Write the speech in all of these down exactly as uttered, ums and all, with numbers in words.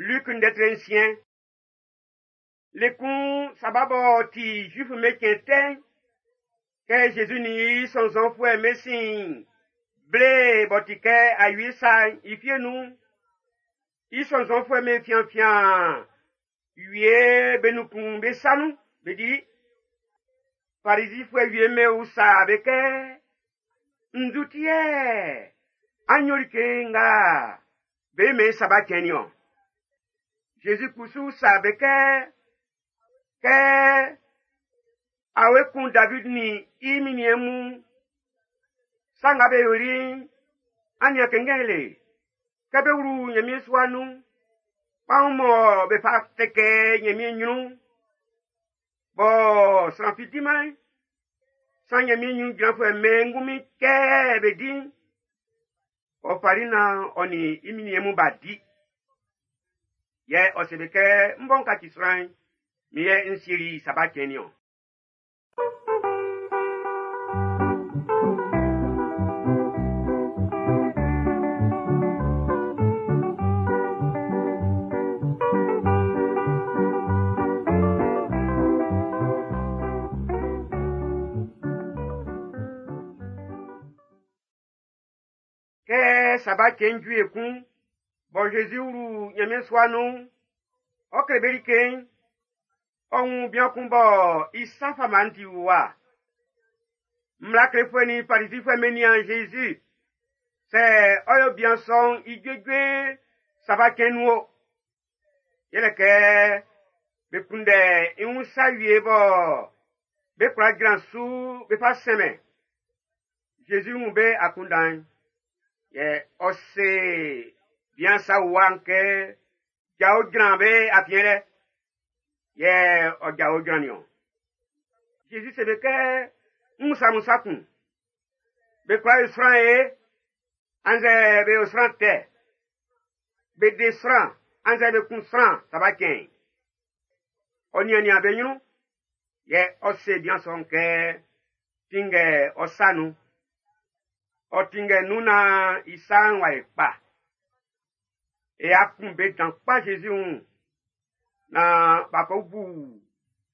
Luc ndɛtre nsiɛn. Le kun saba b'ɔ ti Zuif be cɛn tɛ'n, kɛ Jésus nin i sɔnnzɔnfuɛ'm be sin ble b'ɔ ti kɛ awie sa'n i fie nun'n, i sɔnnzɔnfuɛ'm be fianfian wie be nun kun be sa nun be dili. Farizifuɛ wie'm be usa be kɛ, nzu ti yɛ an yo like nga be mɛn saba cɛn nin-ɔn? Jésus kusu usa be kɛ, kɛ awe kun David nin i minniɛn mun, sa nga be yoli'n, an nian kɛnngɛn le, kɛ be wlu Nyanmiɛn sua nun'n, kpaun mɔ be fa tɛkɛ Nyanmiɛn nyrun'n, bɔ sran fi diman'n, san Nyanmiɛn nyrun jranfuɛ'm be ngunmin kɛ be di'n, ɔ fali nan ɔ nin i minniɛn mun b'a di. Yɛ ɔ se be kɛ, n bɔ n kaci sran'n, min yɛ n sieli saba cɛn nin-ɔn. Kɛ saba cɛn ju ekun, bɔ Jésus wlu Nyanmiɛn sua nun'n, ɔ kle be like'n, ɔ wun bian kun bɔ i sa fama'n ti wuwa. Mmla klefuɛ nin Farizifuɛ'm be nian Jésus, sɛ ɔ yo bian sɔ'n i juejue saba cɛn nun o. Yɛlɛ kɛ be kunndɛ i wun sa wie bɔ be kwla jran su be fa sɛnmɛn. Jésus wun be akunndan'n, yɛ ɔ se bian sa wuwa'n kɛ, jao jran be afiɛn lɛ. Yɛ ɔ jao jran nin-ɔn. Jésus se be kɛ, n usa mun sa kun. Be kwla yo sran ye, annzɛ be yo sran tɛ. Be de sran, annzɛ be kun sran saba cɛn. Ɔ nian-nian be nyrun, yɛ ɔ se bian sɔ'n kɛ, tinngɛ ɔ sa nun. Ɔ tinngɛ nun nan i sa'n w'a ye kpa. E a kun be dan kpa Jésus wun, nan b'a ko bu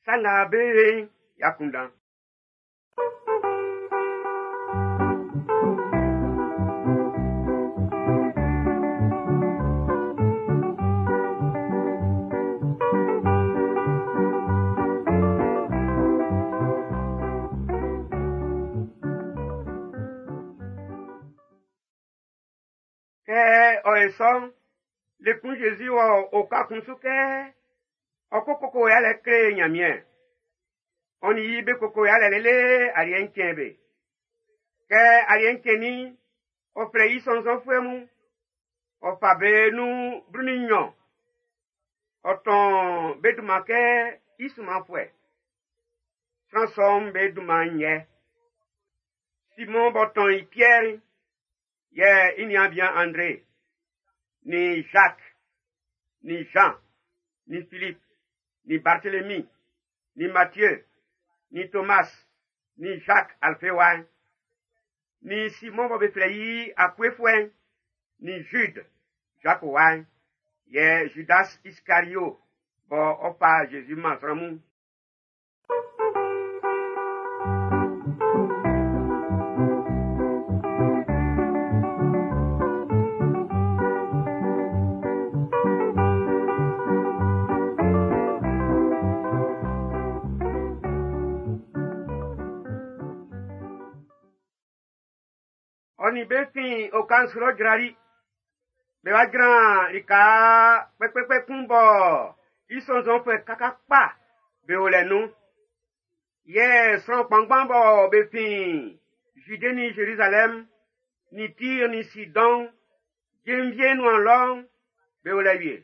sa nga be ye'n i akunndan. Kɛ ɔ ye sɔ'n, le kun Jésus wɔ oka kun su kɛ ɔ ko koko yalɛ kle Nyanmiɛn. Ɔ nin i be koko yalɛ lele aliɛ'n cɛn be. Kɛ aliɛ'n cɛnnin'n, ɔ flɛ i sɔnnzɔnfuɛ mun. Ɔ fa be nun blu nin nnyɔn. Ɔ tɔn be dunman kɛ i sunmanfuɛ. Sran sɔ'm be dunman'n yɛ: Simɔn b'ɔ tɔn i Piɛr'n, yɛ i niaan bian André, nin Jacques, nin Jean, nin Philippe, nin Barthélemy, nin Matthieu, nin Thomas, nin Jacques Alphée wa'n, nin Simon bɔ be flɛ i Akuefuɛ'n, nin Jude, Jacques wa'n, yɛ Judas Iscariot bɔ ɔ fa Jésus man sran mun. Ɔ nin be fin oka'n su lɔ jrali. Be wa jran lika kpɛkpɛkpɛ kun bɔ i sɔnnzɔnfuɛ kaka kpa be o lɛ nun. Yɛ sran kpanngban bɔ be fin Jude nin Jérusalem, nin Tyr nin Sidon, jenvie nuan lɔ'n, be o lɛ wie.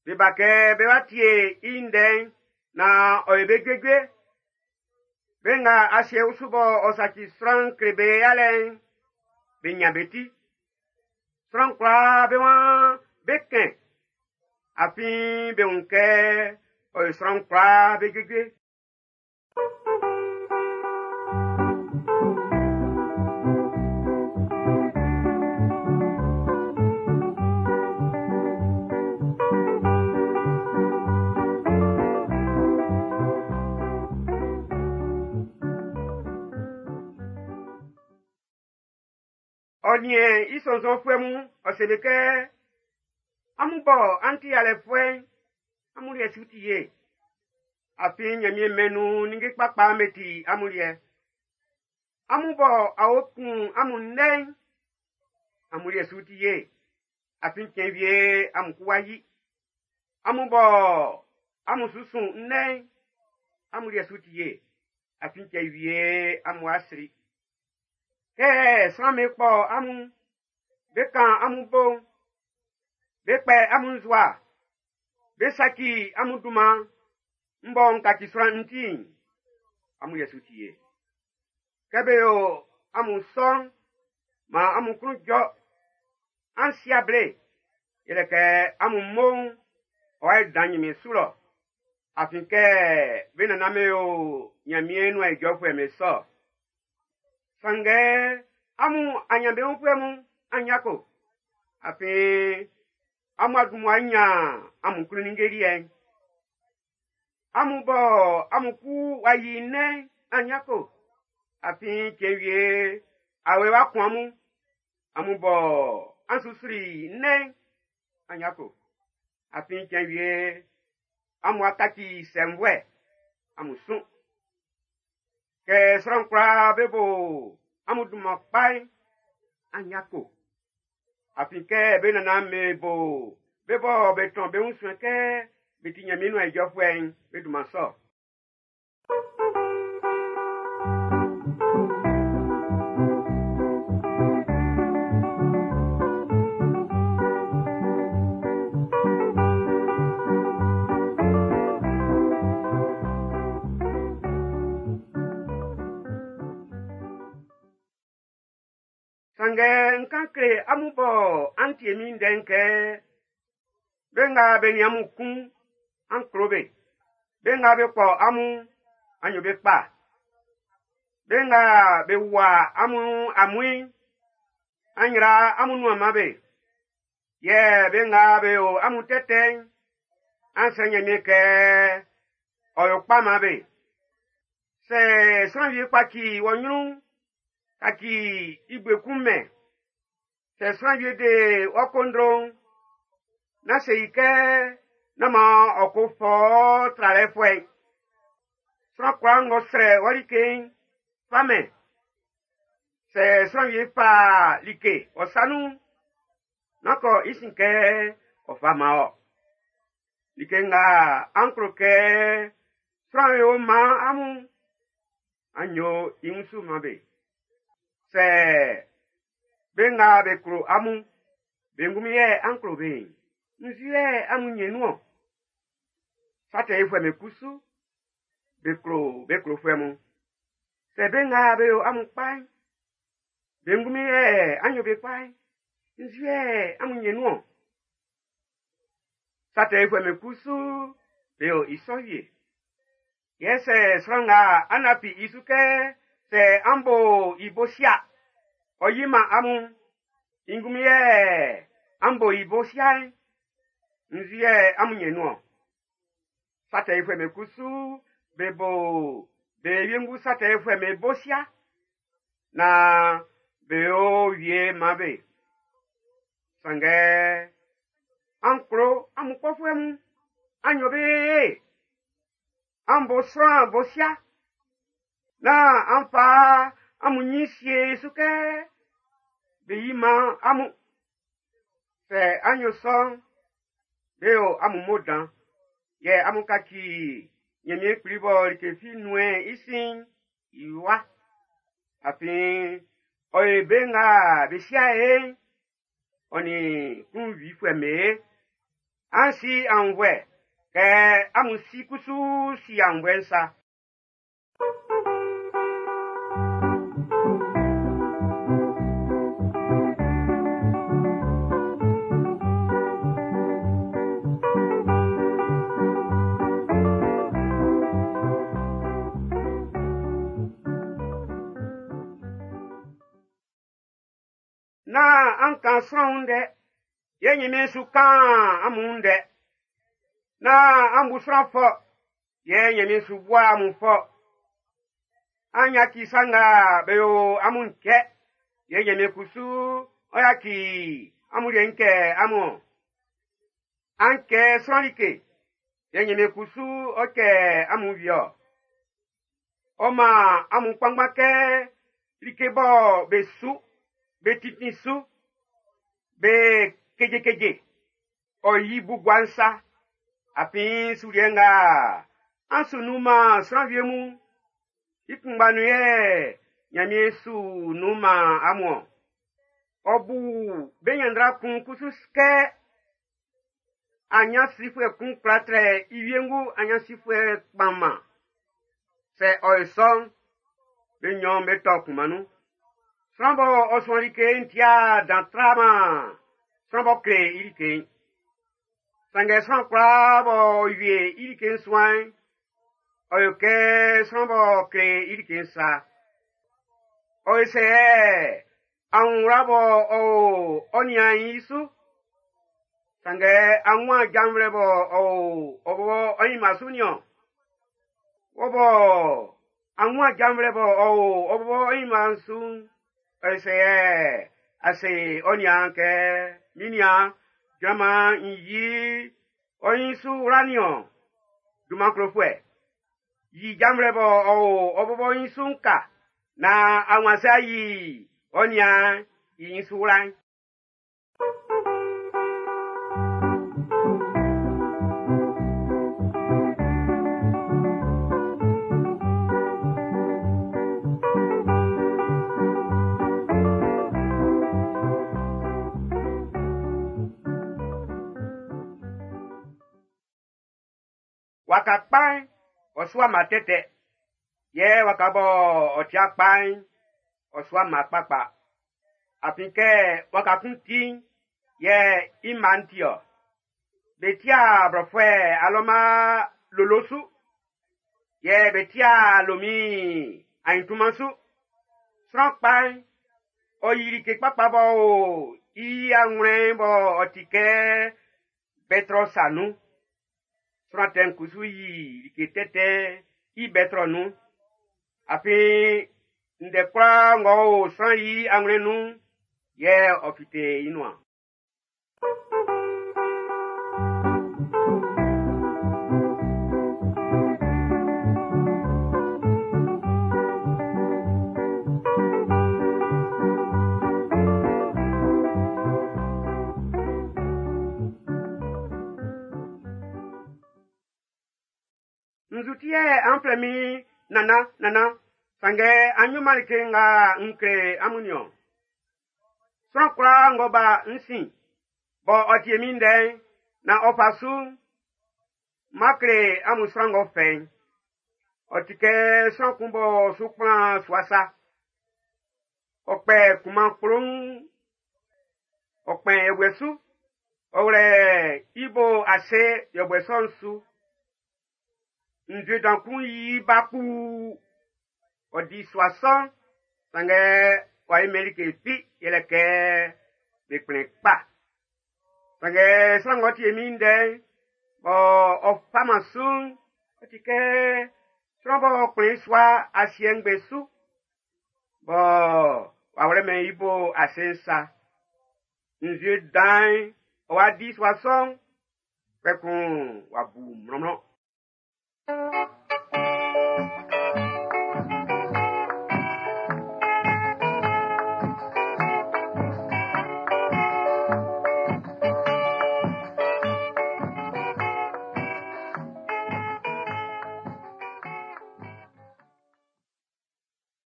Be ba kɛ be wa tie i ndɛ'n nan ɔ ye be juejue. Be nga asiɛ usu bɔ ɔ saci sran kle be yalɛ'n, be nyan be ti. Sran kwlaa be waan be kɛn, afin be wun kɛ ɔ yo sran kwlaa be juejue. miɛn i sɔnnzɔnfuɛ mun, ɔ se be kɛ, amun bɔ an ti yalɛfuɛ'n, amun liɛ su ti ye. Afin Ɲanmiɛn mɛn'n nun ninnge kpakpa'm be ti amun liɛ. Amun bɔ awe kun amun ndɛ'n, amun liɛ su ti ye. Afin cɛn wie amun ku wá yí. Amun bɔ amun su sun ndɛ'n, amun liɛ su ti ye. Afin cɛn wie amun wá sri. Kɛ sran'm be kpɔ amun, be kan amun bo, be kpɛ amun nzua, be saci amun dunman, m bɔ n kaci sran n ti'n, amun liɛ su ti ye. Kɛ be yo amun sɔ'n, maan amun klun jɔ, an si able, yɛlɛ kɛ amun mmo'n ɔ'a dan Ɲanmiɛn su lɔ. Afin kɛ be nannan'm be yo Ɲanmiɛn nuan ijɔfuɛ'm be sɔ. Sanngɛ amun anyanbeunfuɛ mun, an yako. Afin amun a dun mmua nyan amun klun ninnge liɛ'n. Amun bɔ amun ku w'a yi nnɛn'n, an yako. Afin cɛn wie awe w'a kun amun. Amun bɔ an su sri nnɛn'n, an yako. Afin cɛn wie amun a kaci sɛnvuɛ, amun sun. Kɛ sran kwlaa be bo amun dunman kpa'n, an yako. Afin kɛ be nannan'm be bo be bɔ be tɔn be wun suɛn kɛ be ti Ɲanmiɛn nuan ijɔfuɛ'n, be dunman sɔ. Sanngɛ n kan kle amun bɔ an tie min ndɛ'n kɛ, be nga be nin amun kun, an klo be. Be nga be kpɔ amun, an yo be kpa. Be nga be wua amun amuin, an yra amun nuan man be. Yɛ be nga be yo amun tɛtɛ'n, an srɛ Ɲanmiɛn kɛ ɔ yo kpa man be. Sɛ sran wie kpaci wɔ ɲrun'n, kaci i gbekun mɛn. Sɛ sran wie de wɔ kondro'n, na se i kɛ na ma ɔ ko fɔ tralɛfuɛ'n. Sran kwlaa ng'ɔ srɛ wɔ like'n, fa mɛn. Sɛ sran wie fa like ɔ sa nun'n, na kɔ i sin kɛ ɔ fa man ɔ. Like nga an klo kɛ sran yo man amun, an yo i wunsu man be. Sɛ be nga be klo amun, be ngunmin yɛ an klo be'n, nzu yɛ amun nyɛ nun-ɔn? Sa tɛ yofuɛ'm be kusu, be klo be klofuɛ mun. Sɛ be nga be yo amun kpa'n, be ngunmin yɛ an yo be kpa'n, nzu yɛ amun nyɛ nun-ɔn? Sa tɛ yofuɛ'm be kusu, be yo i sɔ wie. Yɛ sɛ sran nga an lafi i su kɛ sɛ an bo i bo sia, ɔ yi man amun, i ngunmin yɛ an bo i bo sia'n, nzu yɛ amun nyɛ nun-ɔn? Sa tɛ yofuɛ'm be kusu, be bo be wiengu sa tɛ yofuɛ'm be bo sia, na be yo wie man be. Sanngɛ an klo amun kpɔfuɛ mun, an yo be ye. An bo sran bo sia, na an fa amun nyin sie su kɛ be yi man amun. Sɛ an yo sɔ'n, be yo amun mo dan, yɛ amun kaci Ɲanmiɛn Kpli bɔ like fi nuɛn i sin'n i wa. Afin ɔ ye be nga be sia e'n, ɔ nin klunwifuɛ'm be. An si aunnvuɛ kɛ amun si kusu si aunnvuɛ'n sa. Na an kan sran ndɛ, yɛ Ɲanmiɛn su kan amun ndɛ. Na an bu sran fɔ, yɛ Ɲanmiɛn su bua amun fɔ. An yaci sa nga be yo amun cɛ, yɛ Ɲanmiɛn kusu ɔ yaci amun liɛ'n kɛ amun. An kɛ sran like, yɛ Ɲanmiɛn kusu ɔ kɛ amun wie-ɔ. Ɔ man amun kpanngban kɛ like bɔ be su, be titi su, be kejekeje, ɔ yi bu gua'n sa. Afin suliɛ nga an su nun-man sran wie mun, i kunngba nun yɛ Ɲanmiɛn su nun-man amun-ɔn. Ɔ bu be ɲanndra kun kusu kɛ anyansifuɛ kun kwla trɛ i wiengu anyansifuɛ kpanman. Sɛ ɔ yo sɔ'n, be nnyɔn be tɔ kunman nun. Sran bɔ ɔ suan like'n tia dan traman sran b'ɔ kle i like'n. Sanngɛ sran kwlaa b'ɔ wie i like'n suan'n, ɔ yo kɛ sran b'ɔ kle i like'n sa. Ɔ yo sɛ anwura bɔ ɔ o ɔ nian'n i su. Sanngɛ anwuan janvlɛ bɔ ɔ o ɔ bɔbɔ ɔ ɲinma su niɔn. Wɔ bɔ anwuan janvlɛ bɔ ɔ o ɔ bɔbɔ ɔ ɲinma su'n, ɔ yo sɛ ase ɔ nian kɛ min nian jranman n yi ɔ ɲin su wla niɔn. Dunman klofuɛ. Yi janvlɛ bɔ ɔ o ɔ bɔbɔ ɲin su'n ka na anwuan sɛ yi ɔ nian i ɲin su wla'n. Waka kpa'n, ɔ sua ma tɛtɛ. Yɛ waka bɔ ɔ tia kpa'n, ɔ sua ma kpakpa. Afin kɛ waka kun ti'n, yɛ i mma'n ti-ɔ. Be tia blɔfuɛ alɔma lolo su. Yɛ be tia lomi anyintunman su. Sran kpa'n, ɔ yi like kpakpa bɔ o i anwlɛn bɔ ɔ ti kɛ bɛtrɔ sa nun. Sran tɛ'n kusu yi like tɛtɛ i bɛtrɔ nun. Afin ndɛ kwlaa ng'ɔ o sran i anwlɛn nun'n, yɛ ɔ fite i nuan. Nzu ti yɛ an flɛ min nana nana, sanngɛ an yoman like nga n kle amun niɔn. Sran kwlaa ng'ɔ ba n sin, bɔ ɔ tie min ndɛ'n, na ɔ fa su'n, má kle amun sran ng'ɔ fɛ'n. Ɔ ti kɛ sran kun b'ɔ su kplan sua sa. Ɔ kpɛ kunman kploun, ɔ kpɛn yɛbuɛ su, ɔ wlɛ i bo ase yɛbuɛ sɔ'n su. Nzue dan kun yi ba kpuu. Ɔ di sua sɔ'n, sanngɛ w'a yimɛn like fi yɛlɛ kɛ be kplɛn kpa. Sanngɛ sran ng'ɔ tie min ndɛ'n, bɔ ɔ faman su'n, ɔ ti kɛ sran b'ɔ kplɛn sua asiɛ ngbɛn su, bɔ w'a wlɛmɛn i bo ase'n sa. Nzue dan'n, ɔ wa di sua sɔ'n, kpɛkun w'a bu mlɔnmlɔn.